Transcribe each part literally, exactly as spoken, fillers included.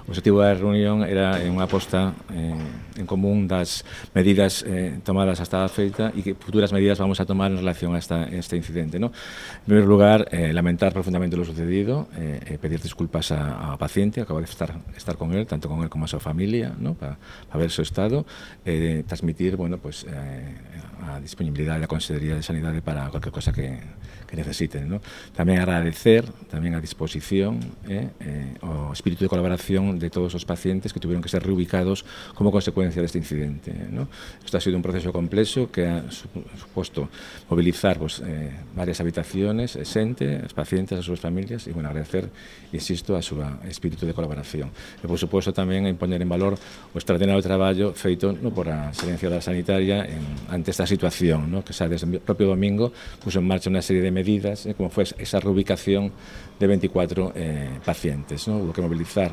O objetivo da reunión era unha aposta eh, en común das medidas eh, tomadas hasta a feita e que futuras medidas vamos a tomar en relación a esta, este incidente, ¿no? En primer lugar, eh, lamentar profundamente lo sucedido, eh, pedir disculpas a, a paciente, acabo de estar, estar con él, tanto con él como a súa familia, ¿no? Para pa ver su estado, eh, transmitir, bueno, pues, eh, a disponibilidade da Consellería de Sanidade para cualquier cosa que, que necesiten, ¿no? Tamén agradecer, tamén a disposición, eh, eh, o espírito de colaboración de todos os pacientes que tuvieron que ser reubicados como consecuencia deste incidente, ¿no? Isto ha sido un proceso complexo que ha suposto movilizar pues, eh, varias habitaciones, eh, xente, as pacientes, as súas familias, e, bueno, agradecer, insisto, a súa espírito de colaboración. E, por suposto, tamén a impoñer en valor o extraordinario traballo feito no, por a Xerencia da Sanitaria en, ante esta situación, ¿no? Que xa desde o propio domingo puso en marcha unha serie de medidas, eh, como foi esa reubicación de veinticuatro eh, pacientes, ¿no? Hubo que movilizar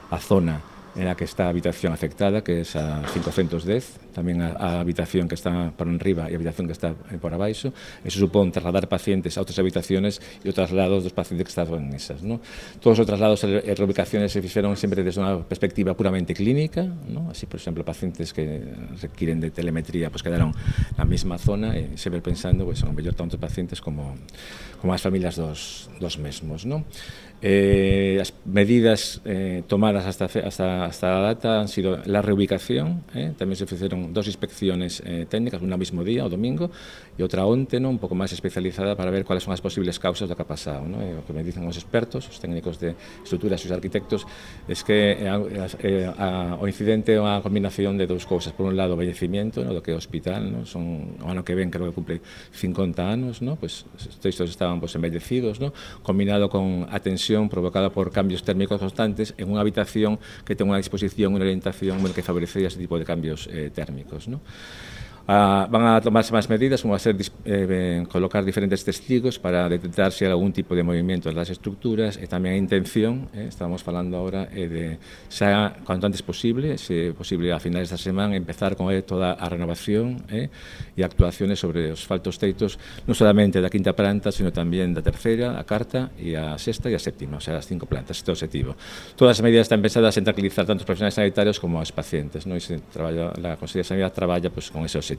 a zona en la que está a habitación afectada, que es a quinientos dez, tamén a, a habitación que está por enriba e a habitación que está por abaixo. Eso supón trasladar pacientes a outras habitaciones e o traslado dos pacientes que estaban en esas, ¿no? Todos os traslados e reubicaciones se fixeron sempre desde unha perspectiva puramente clínica, ¿no? Así, por exemplo, pacientes que requieren de telemetría pues quedaron na mesma zona e sempre pensando pues, en mellor tanto pacientes como, como as familias dos, dos mesmos, ¿no? Eh, as medidas eh, tomadas hasta, hasta, hasta la data han sido la reubicación, eh, tamén se fixeron dos inspecciones eh, técnicas, unha mismo día, o domingo, e outra onte, ¿no? Un pouco máis especializada para ver cuáles son as posibles causas do que ha pasado, ¿no? E o que me dicen os expertos, os técnicos de estruturas e os arquitectos, es que eh, eh, a, o incidente é unha combinación de dous cousas. Por un lado, o bellecimiento, ¿no? Do que é o hospital, ¿no? Son, o ano que ven, creo que cumple cincuenta anos, ¿no? Pues estes estaban pues, embellecidos, ¿no? Combinado con a tensión provocada por cambios térmicos constantes en unha habitación que ten unha disposición, unha orientación bueno, que favorecería ese tipo de cambios eh, térmicos, ¿no? Ah, van a tomarse máis medidas, como a ser eh, colocar diferentes testigos para detectar se hai algún tipo de movimento das estructuras e tamén a intención, eh, estamos falando agora eh, de xa cuanto antes posible, se posible a finales da semana empezar con eh, toda a renovación eh, e actuaciones sobre os faltos teitos non solamente da quinta planta, sino tamén da terceira, a cuarta e a sexta e a séptima, o sea, as cinco plantas, este é o objetivo. Todas as medidas están pensadas en tranquilizar tanto os profesionais sanitarios como os pacientes, ¿no? E se traballa, la Consellería de Sanidade traballa pues, con ese objetivo.